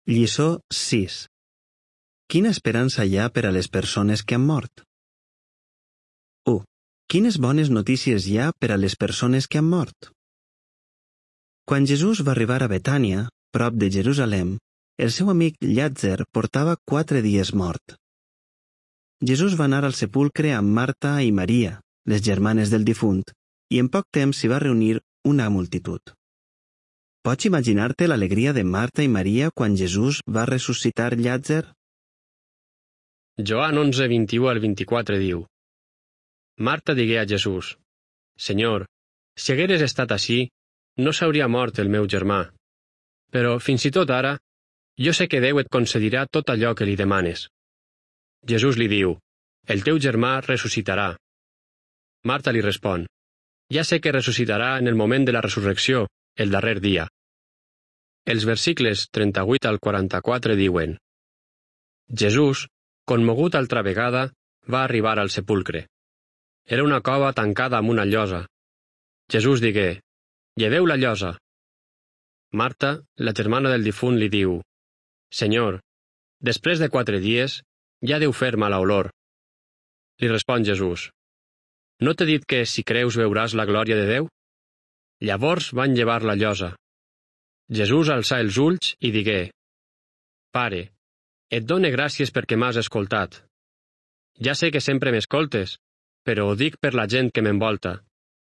Lliçó 6. Quina esperança hi ha per a les persones que han mort? 1. Quines bones notícies hi ha per a les persones que han mort? Quan Jesús va arribar a Betània, prop de Jerusalem, el seu amic Llàtzer portava 4 dies mort. Jesús va anar al sepulcre amb Marta i Maria, les germanes del difunt, i en poc temps s'hi va reunir una multitud. Pots imaginar-te l'alegria de Marta i Maria quan Jesús va ressuscitar Llàtzer? Joan 11, 21 al 24 diu: Marta digué a Jesús: Senyor, si hagueres estat ací, no s'hauria mort el meu germà. Però, fins i tot ara, jo sé que Déu et concedirà tot allò que li demanes. Jesús li diu: El teu germà ressuscitarà. Marta li respon: Ja sé que ressuscitarà en el moment de la resurrecció, el darrer dia. Els versicles 38 al 44 diuen: Jesús, commogut altra vegada, va arribar al sepulcre. Era una cova tancada amb una llosa. Jesús digué: Lleveu la llosa. Marta, la germana del difunt, li diu: Senyor, després de 4 dies, ja deu fer mala olor. Li respon Jesús: No t'he dit que, si creus, veuràs la glòria de Déu? Llavors van llevar la llosa. Jesús alçà els ulls i digué: Pare, et done gràcies perquè m'has escoltat. Ja sé que sempre m'escoltes, però ho dic per la gent que m'envolta,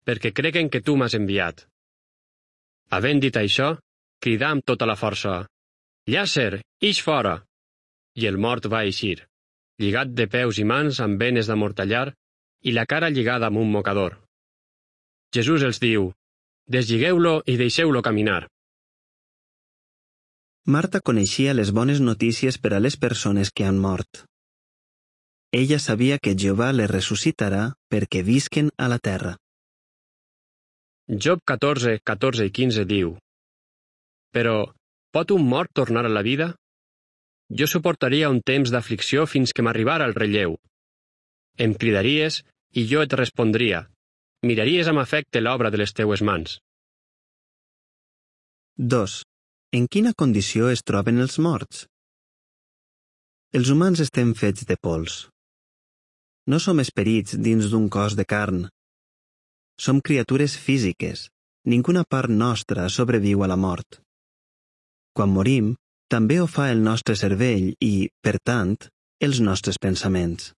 perquè creguen que tu m'has enviat. Havent dit això, cridà amb tota la força: Llàtzer, ix fora! I el mort va eixir, lligat de peus i mans amb benes d'amortallar i la cara lligada amb un mocador. Jesús els diu: Deslligeu-lo i deixeu-lo caminar. Marta coneixia les bones notícies per a les persones que han mort. Ella sabia que Jehovà les ressuscitarà perquè visquen a la terra. Job 14, 14 i 15 diu: Però, pot un mort tornar a la vida? Jo suportaria un temps d'aflicció fins que m'arribara el relleu. Em cridaries i jo et respondria. Miraries amb afecte l'obra de les teues mans. 2. En quina condició es troben els morts? Els humans estem fets de pols. No som esperits dins d'un cos de carn. Som criatures físiques. Ninguna part nostra sobreviu a la mort. Quan morim, també ho fa el nostre cervell i, per tant, els nostres pensaments.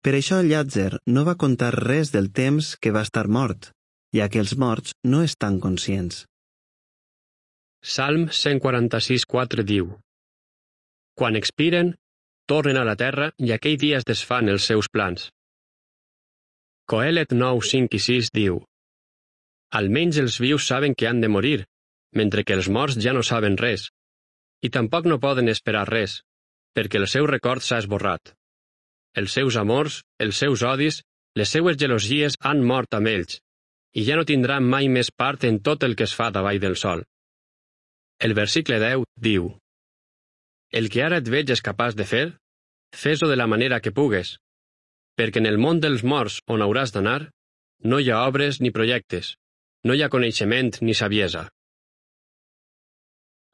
Per això Llàtzer no va contar res del temps que va estar mort, ja que els morts no estan conscients. Salm 146:4 diu: Quan expiren, tornen a la terra i aquell dia es desfan els seus plans. Coelet 9, 5 i 6 diu: Almenys els vius saben que han de morir, mentre que els morts ja no saben res, i tampoc no poden esperar res, perquè el seu record s'ha esborrat. Els seus amors, els seus odis, les seues gelosies han mort amb ells, i ja no tindran mai més part en tot el que es fa davall del sol. El versicle 10 diu: El que ara et veig és capaç de fer, fes-ho de la manera que pugues, perquè en el món dels morts on hauràs d'anar, no hi ha obres ni projectes, no hi ha coneixement ni saviesa.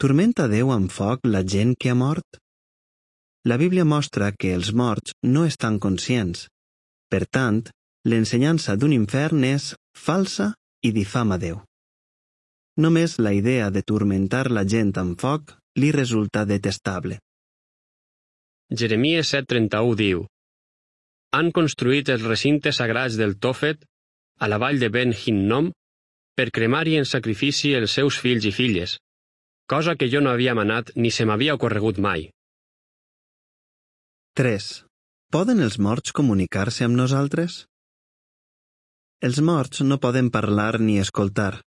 Turmenta Déu amb foc la gent que ha mort? La Bíblia mostra que els morts no estan conscients. Per tant, l'ensenyança d'un infern és falsa i difama Déu. Només la idea de turmentar la gent amb foc li resulta detestable. Jeremies 7:31 diu: Han construït els recintes sagrats del Tòfet a la vall de Ben Hinnom per cremar-hi en sacrifici els seus fills i filles, cosa que jo no havia manat ni se m'havia ocorregut mai. 3. Poden els morts comunicar-se amb nosaltres? Els morts no poden parlar ni escoltar.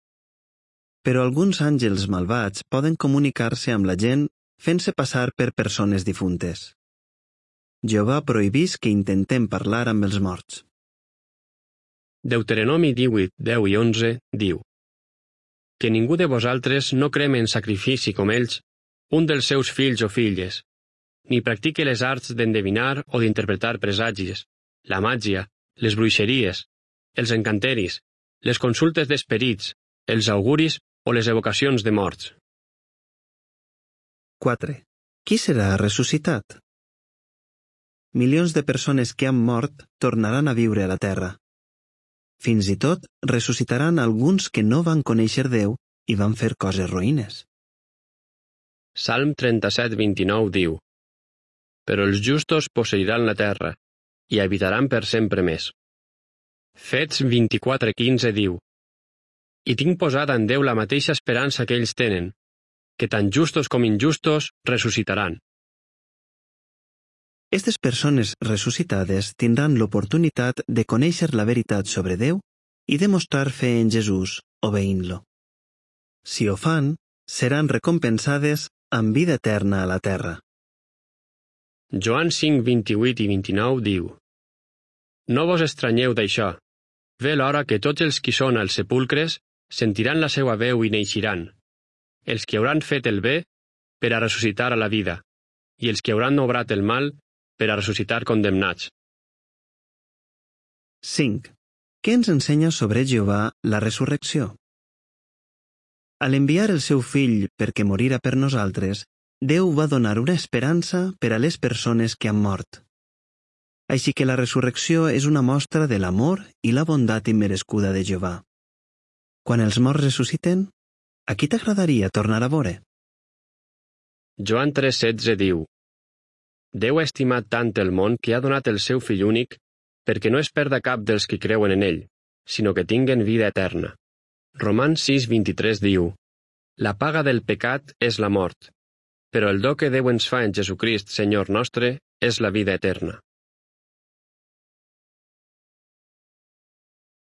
Però alguns àngels malvats poden comunicar-se amb la gent fent-se passar per persones difuntes. Jehovà prohibís que intentem parlar amb els morts. Deuteronomi 18, 10 i 11 diu: Que ningú de vosaltres no creme en sacrifici com ells un dels seus fills o filles, ni practique les arts d'endevinar o d'interpretar presagis, la màgia, les bruixeries, els encanteris, les consultes d'esperits, els auguris o les evocacions de morts. 4. Qui serà ressuscitat? Milions de persones que han mort tornaran a viure a la terra. Fins i tot ressuscitaran alguns que no van conèixer Déu i van fer coses roïnes. Salm 37:29 diu: Però els justos posseiran la terra i habitaran per sempre més. Fets 24:15 diu: I tinc posada en Déu la mateixa esperança que ells tenen, que tant justos com injustos ressuscitaran. Aquestes persones ressuscitades tindran l'oportunitat de conèixer la veritat sobre Déu i demostrar fe en Jesús, obeint-lo. Si ho fan, seran recompensades amb vida eterna a la terra. Joan 5:28 i 29 diu: No vos estranyeu d'això. Ve l'hora que tots els qui són als sepulcres sentiran la seva veu i neixiran. Els que hauran fet el bé, per a ressuscitar a la vida, i els que hauran obrat el mal, per a ressuscitar condemnats. 5. Què ens ensenya sobre Jehovà la resurrecció? Al enviar el seu fill perquè morira per nosaltres, Déu va donar una esperança per a les persones que han mort. Així que la resurrecció és una mostra de l'amor i la bondat immerescuda de Jehovà. Quan els morts ressusciten, a qui t'agradaria tornar a veure? Joan 3:16 diu: Déu ha estimat tant el món que ha donat el seu fill únic perquè no es perda cap dels que creuen en ell, sinó que tinguen vida eterna. Romans 6:23 diu: La paga del pecat és la mort, però el do que Déu ens fa en Jesucrist, Senyor nostre, és la vida eterna.